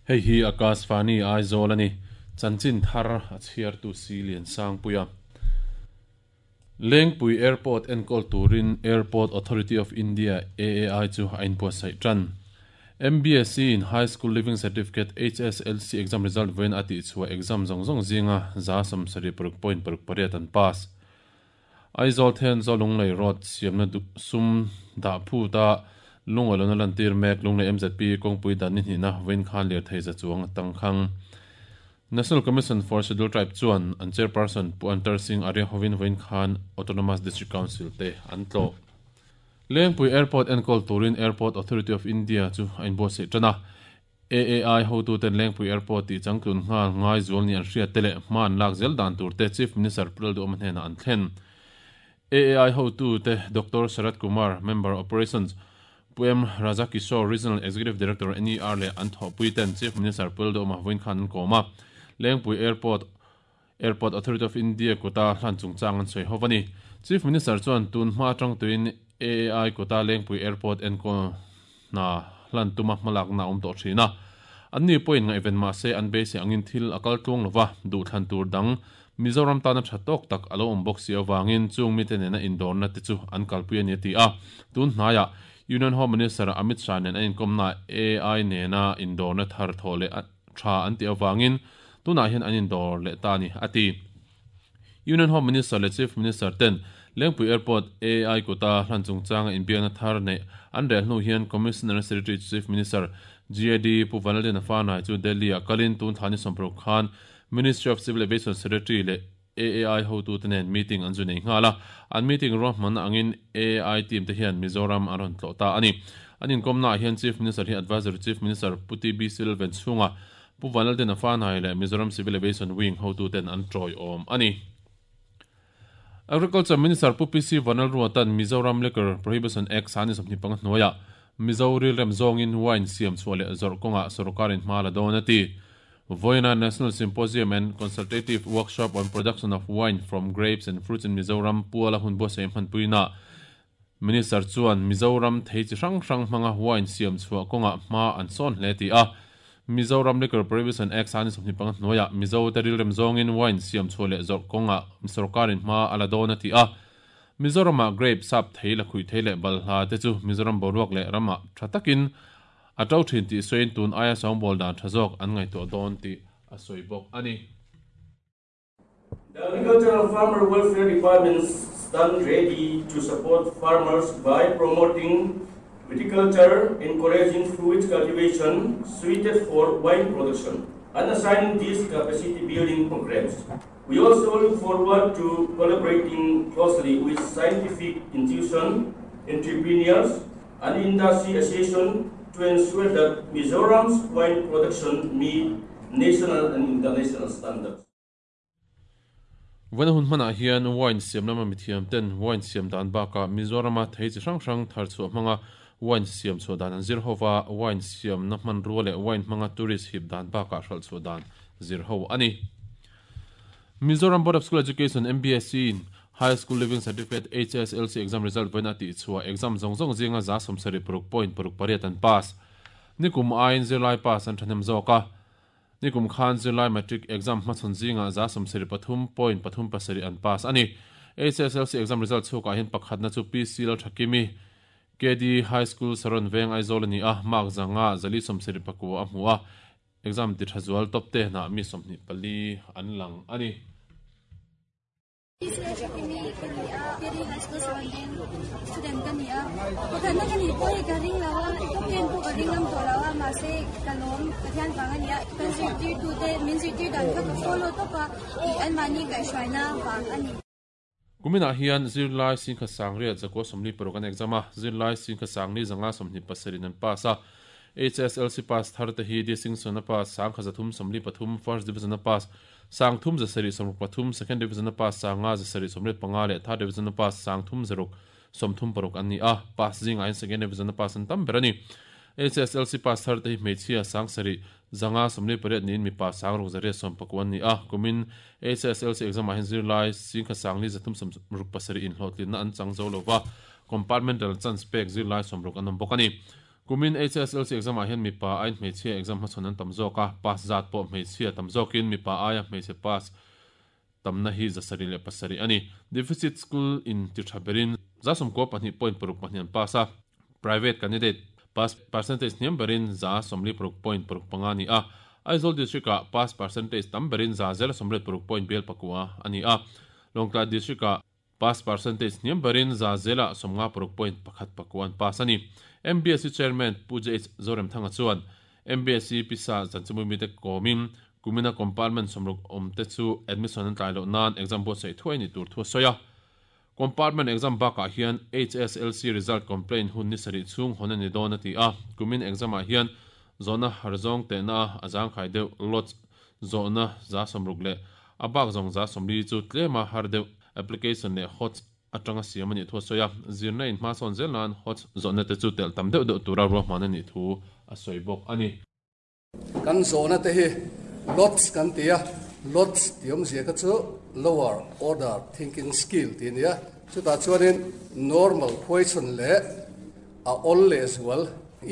Hei hi Akashvani Aizawl a ni. Chanchin thar a chhiartu si Liansangpuia. Lengpui Airport enkawl turin Airport Authority of India, AAI, chu a inbuatsaih tan. MBSE in High School Leaving Certificate, HSLC, exam result vawiin a tihchhuah exam zawng zawng zinga 76.68 an pass. Aizawl Thenzawl Lunglei Road siamna sum dah phut a lungawi lohna lantir mek Lunglei MZP kawngpui dan ni hnihna vawiin khan lirthei za chuang a tangkhang. National Commission for Scheduled Tribe chuan an Chairperson Pu Antar Singh Arya hovin vawiin khan Autonomous District Council te an tlawh. Lengpui Airport enkawl turin Airport Authority of India chu a inbuatsaih tan a. AAI hotuten Lengpui Airport tih changtlun nghal ngai zual ni an hriat te leh hma an lak zel dan tur te Chief Minister Pu Lalduhawma hnenah an thlen. AAI hotute Doctor Sharad Kumar, Member, Operations, Pu M Raja Kishore, Regional Executive Director, NER leh an thawhpui ten Chief Minister Pu Lalduhawma vawiin khan an kawm a. Lengpui Airport Airport Authority of India kuta hlan chungchang an sawi ho a ni. Chief Minister chuan tun hma atang tuin AAI kuta Lengpui Airport enkawl hna hlan tuma hmalakna a awm tawh thin a. Anni pawhin ngaihven mah se an beisei angin thil a kal tluang lova, duhthlan tur dang Mizoram tana tha tawk tak a lo awm bawk si avangin chung mite nena indawrna te chu an kalpui a ni a ti a. Tun hnaiah Union Home Minister Amit Shah nen a inkawmnaah AI nena indawrna thar thawh leh tha an tih avangin tunah hian an indawr leh ta a ni, a ti. Union Home Minister leh Chief Minister ten Lengpui Airport AI kuta hlan chungchanga inbiakna thar neih an rel hnu hian Commissioner Secretary to Chief Minister GAD Pu Vanlalliana Fanai chu Delhi-ah kalin tun thla ni 60 khan Ministry of Civil Aviation Secretary leh AAI hotute nen meeting an zu nei nghal a, an meeting ruahmanna angin AAI team te hian Mizoram an rawn tlawh ta a ni. An inkawmnaah hian Chief Minister hi Advisory Chief Minister Pu TB Silven chhunga Pu Vanlaltena Fanai leh Mizoram Civil Aviation Wing hotuten an tawiawm a ni. Agriculture Minister Pu PC Vanlalruata'n Mizoram Liquor Prohibition Act sani 25 hnuaiah Mizo rilrem zawngin wine siam chhuah leh zawrh kawngah sawrkarin hma la dawn a ti. Vawiina National Symposium and Consultative Workshop on Production of Wine from Grapes and Fruits in Mizoram puala hun buatsaih hmanpuinaah Minister chuan Mizoram thei chi hrang hrang hmanga wine siam chhuah kawngah hma an sawn hle tih a. Mizoram Liquor Prohibition Act sani 25 hnuaiah Mizo te rilrem zawngin wine siam chhuah leh zawrh kawngah sawrkarin hma a la dawn a ti a. Mizoramah grape, sap thei, lakhuih thei leh balhla te chu Mizoram boruak leh ramah tha takin A to thin tih sawiin tun aia sawngbawl dan tha zawk an ngaihtuah dawn tih a sawi bawk a ni. The Agriculture and Farmer Welfare Department stand ready to support farmers by promoting viticulture, encouraging fruit cultivation suited for wine production, and assigning these capacity building programs. We also look forward to collaborating closely with scientific institutions, entrepreneurs, and industry association to ensure that Mizoram's wine production meet national and international standards. Vawiina hun hmanah hian wine siam lama mithiam ten wine siam dan bakah Mizorama thei chi hrang hrang thar chhuah hmanga wine siam chhuah dan an zir ho va, wine siamna hmanrua leh wine hmanga tourist hip dan bakah hralh chhuah dan zir ho a ni. Mizoram Board of School Education, MBSE, in High School Leaving Certificate, HSLC, exam result vawiin a tihchhuah exam zawng zawng zinga 76.68 an pass. Nikum aiin zirlai pass an thahnem zawk a. Nikum khan zirlai matric exam hmachhawn zinga 73.37 an pass a ni. HSLC exam result chhukah hian pakhatna chu PC Lalthakimi, KD High School Saron Veng Aizawl a ni a, mark zanga 479 a hmu a. Exam ti tha zual top te hnah mi 24 an lang a ni. Kimi ka ni a, KD High School Saron student ka ni a. Pakhatna ka nih pawh hi ka ring lo a, top ten pawh ka ring ngam tawh lo a, mahse ka lawm Pathian vang a ni a. Kan zirtirtute min zirtir dan kha ka follow tawp a, tih anmahni kaihhruaina vang a ni. Kuminah hian zirlai singkha sangriat zakua 46 an exam a, zirlai singkha sangli zanga 27 in an pass a. HSLC pass thar te hi Distinction a pass sangkha 343, First Division a pass sang thum 763, Second Division a pass sanga 785 leh Third Division a pass sang thum 636 an ni a, pass zingah hian Second Division a pass an tam ber a ni. HSLC pass thar te hi hmeichhia sang sarih zanga 48 niin mipa sang ruk 114 an ni a, kumin HSLC exam ah hian zirlai singkha sangli 367 inhlawhtlinna an chang zo lova, compartmental chance pek zirlai 60 an awm bawk a ni. Kumin HSLC exam ah hian mipa aiin hmeichhia exam hmachhawn an tam zawk a, pass zat pawh hmeichhia tam zawkin mipa aia hmeichhe pass tamna hi 707 a ni. Deficit school in ti tha berin 92.62 an pass a, private candidate pass percentage hniam berin 46.65 a ni a, Aizawl District ah pass percentage tam berin 0.89 a ni a, Lawngtlai District ah Pass percentage hniam berin 56.14% an pass a ni. MBSE Chairman Pu JH Zoremthanga chuan MBSE pisa zanchimui mite kawmin kumina compartment 60 awmte chu admission an tlai loh nan exam buatsaih thuai ni tur thu a sawi a. Compartment exam bakah hian HSLC result complaint hun ni sarih chhung hawn a ni dawn a ti a. Kumin exam ah hian zawhna har zawng tehna a zangkhai deuh lots zawhna 60 leh a bak zawng 40 chu tlema har deuh Application leh HOTS atanga siam a nih thu a sawi a, zirna in hmasawn zel nan HOTS zawhna te chu telh tam deuh deuh tura ruahman a nih thu a sawi bawk a ni. Kan zawhna te hi LOTS kan ti a, LOTS tih awmzia kha chu Lower Order Thinking Skill tih a ni a, chutah chuanin normal question leh a awl lehzual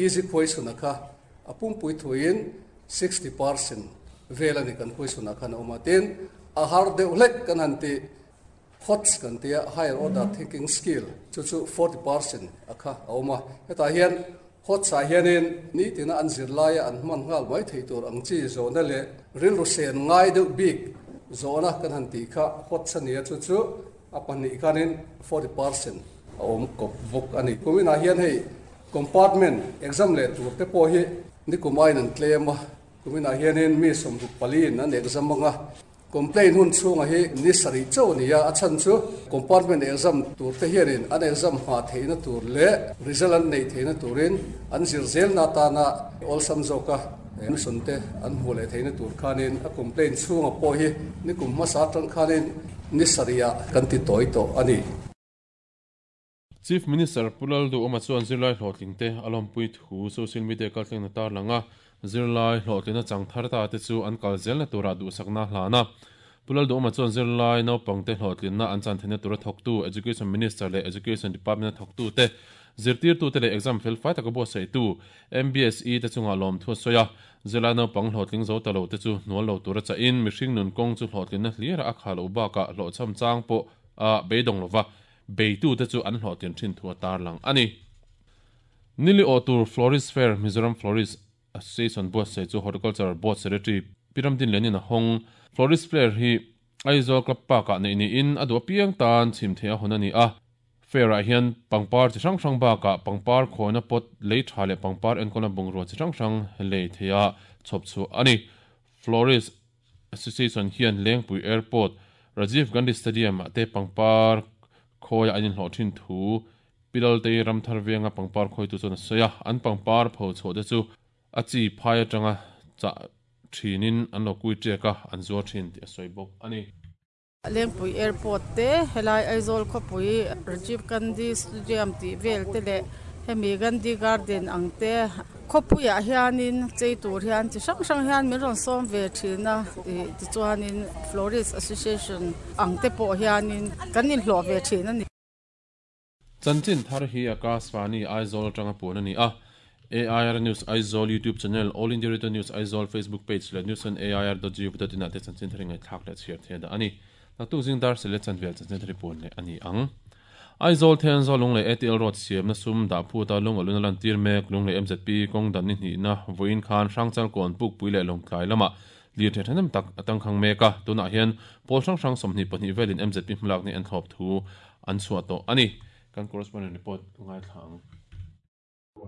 easy question a kha a pumpui thuin 60% vel a ni kan question ah khan a awm a, tin a har deuh hlek kan han tih HOTS kan tia higher order thinking skill chu chu 40% a kha a awm a, hetah hian HOTS ah hianin nitina an zir laia an hman nghal mai thei tur ang chi zawhna leh rilru sen ngai deuh bik zawhna kan han tih kha HOTS a ni a, chu chu a pahnih khanin 40% a awm kawp bawk a ni. Kuminah hian hei Compartment exam leh tur te pawh hi nikum aiin an tlem a, kuminah hianin mi 64 in an exam ang a, complaint hun chhunga hi ni sarih chauh a ni a, a chhan chu compartment exam tur te hianin an exam hma theihna tur leh result an neih theihna turin an zir zelna atana awlsam zawka admission te an hmuh leh theihna tur khanin a complaint chhunga pawh hi nikum hmasa atang khanin ni sarihah kan ti tawi tawh a ni. Chief Minister Pu Lalduhawma chuan zirlai hlawhtlingte a lawmpui thu social media kaltlengna tarlang a, zirlai hlawhtlina chang thar ta te chu an kal zelna turah duhsakna a hlan a. Pu Lalduhawma chuan zirlai naupangte hlawhtlinna an chan theihna tura thawktu Education Minister leh Education Department a thawktute, zirtirtute leh exam felfai taka buatsaihtu MBSE te chungah lawmthu a sawi a. Zirlai naupang hlawhtling zo ta lo te chu hnual lo tura chahin mihring nun kawng chu hlawhtlinna hlira a khah loh bakah hlawhchham chang pawh a beidawng lova. Beitute chu an hlawhtlin thin thu a tarlang a ni. Nili awh tur Florist Fair Mizoram Florist Association buatsaih chu Horticulture Board Secretary Pi Ramdin Lenin a hawng. Florist Fair hi Aizawl Club Park-ah neih niin a duh apiang tan chhim theih a hawn a ni a. Fair-ah hian pangpar chi hrang hrang bakah pangpar khawina pot lei tha leh pangpar enkawlna bungrua chi hrang hrang lei theiha chhawp chhuah a ni. Florist Association hian Lengpui Airport, Rajiv Gandhi Stadium ah te pangpar khawi an inhlawh thin thu Pi Laltei Ramthar venga pangpar khawitu chuan a sawi a, an pangpar pho chhuah te chu a chi phai atanga chah thinin an lo kui ṭiak a, an zuar thin tih a sawi bawk a ni. Lengpui Airport te, helai Aizawl khawpui Rajiv Gandhi Stadium tih vel te leh hemi Gandhi Garden ang te khawpuiah hianin chei tur hian chi hrang hrang hian min rawn sawm ve thin a ih tichuanin Florist Association ang te pawh hianin kan inhlawh ve thin a ni. Chanchin thar hi Akashvani Aizawl atanga puan a ni a, AIR News Aizawl YouTube channel, All India Radio News Aizawl Facebook page leh news on air dot gov dot in ah te chanchin thar hi ngaihthlak leh chhiar thei a dah a ni. Naktuk zing dar sele chanvel chanchin thar hi puan leh a ni ang. Aizawl Thenzawl Lunglei ATL Road siamna sum dah phut a lung alun a lantir mek Lunglei MZP kawng dan ni hnihna vawiin khan Hrangchal kawn Pukpui leh Lawngtlai lamah lir thei thahnem tak a tangkhang mek a, tunah hian pawl hrang hrang 22 velin MZP hmalak ni an thlawp thu an chhuah tawh a ni. Kan correspondent report ngaithla ang.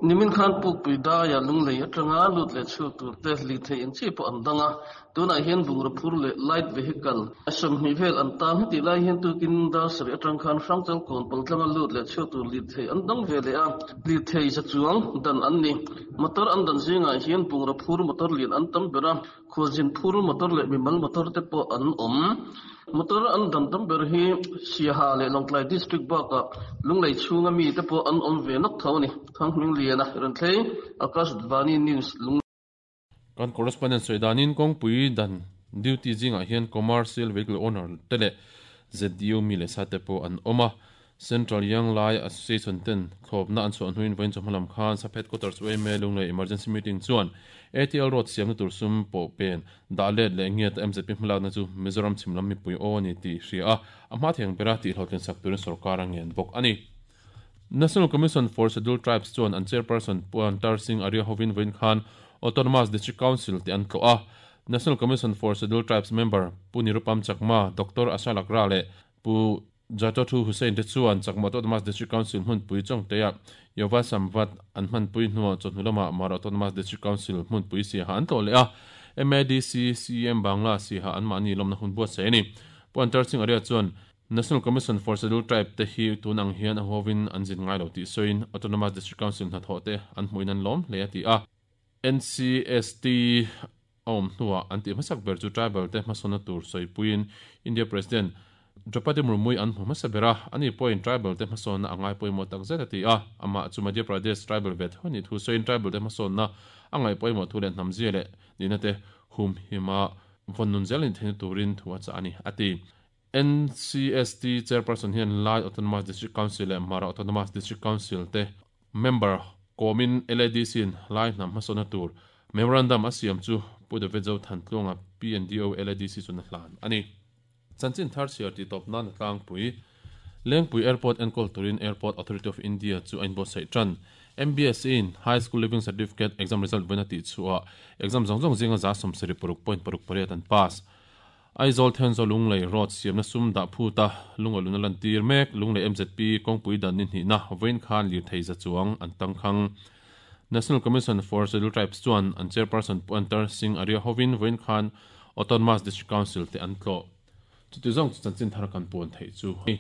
Nimin khan Pukpui daia Lunglei atanga lut leh chhuak tur te lir thei eng chi pawh an dang a, tunah hian bungraw phur leh light vehicle 20 vel an tang. Hetih lai hian tukin dar sarih atang khan Hrangchal kawn paltlanga lut leh chhuak tur lir thei an dang ve leh a, lir thei za chuang dan an ni. Motor an dan zingah hian bungraw phur motor lian an tam ber a, Khualzin phur motor leh mimal motor te pawh an awm. Motor an dan tam ber hi Siaha leh Lawngtlai District bakah Lunglei chhunga mi te pawh an awm ve nawk tho a ni. Thanghmingliana Renthlei, Akashvani News, Lunglei. Kan correspondent sawi danin kawngpui dan duty zingah hian commercial vehicle owner te leh ZDU mi leh sa te pawh an awm a. Central Young Lai Association ten thlawpna an chhuah hnuin vawiin chawhma lam khan Sap Headquarters yma Lunglei Emergency Meeting chuan ATL Road siamna tur sum pawh pen dah let leh ngiat a mzp hmalakna chu Mizoram chhim lam mipui aw a ni tih hria a, a hma theng bera tihhlawhtlin sak turin sorkar a ngen bawk a ni. National Commission for Scheduled Tribes chuan an Chairperson Pu Antar Singh Arya hovin vawiin khan Autonomous District Council tih an tlawh a, National Commission for Scheduled Tribes member Pu Nirupam Chakma, Doctor Asha Lakra leh Pu Jatothu Hussain te chuan Chakma Autonomous District Council hmunpui Chawngteah Yova Samvat an hmanpui hnuah chawhnu lamah Mara Autonomous District Council hmunpui siaha an tlawh leh a, MADC CEM Bangla siaha anmahni lawmna hun buatsaih a ni. Pu Antar Singh Arya chuan National Commission for Scheduled Tribe te hi tun ang hian a huavin an zin ngai lo tih sawiin Autonomous District Council hnathawh te an hmuhin an lawm hle a ti a. NCST a awm hnuah an tih hmasak ber chu tribal te hmasawnna tur sawipuiin India President Draupadi Murmu-i an hmu hmasa ber a, ani pawhin tribal te hmasawnna a ngai pawimawh tak zet a ti a, amah chu Madhya Pradesh tribal ve tho anih thu sawiin tribal te hmasawnna a ngaih pawimawh thu leh hnamzia leh nihna te humhima vawn nun zel anih theihna turin thu a chah a ni, a ti. NCST Chairperson hian Lai Autonomous District Council leh Mara Autonomous District Council te Member kawmin LADC-in Lai hnam hmasawnna tur Memorandum a siam chu Pu David Zothantluanga PNDO LADC chuan a hlan a ni. Chanchin thar chhiar tih tawp nan a tlangpui. Lengpui Airport enkawl turin Airport Authority of India chu a inbuatsaih tan. MBSE-in High School Leaving Certificate exam result vawiin a tihchhuah exam zawng zawng zinga 76.68 an pass. Aizawl Thenzaw Lunglei Road siamna sum dah phut a, lungaw luna lantir mek Lunglei mzp kawngpui dan ni hnihna vawiin khan lirthei za chuang an tangkhang. National Commission for Scheduled Tribes chuan an Chairperson Pu Antar Singh Arya hovin vawiin khan Autonomous District Council te an tlawh. Chuti zawng chu chanchin thar kan puan theih chu a ni.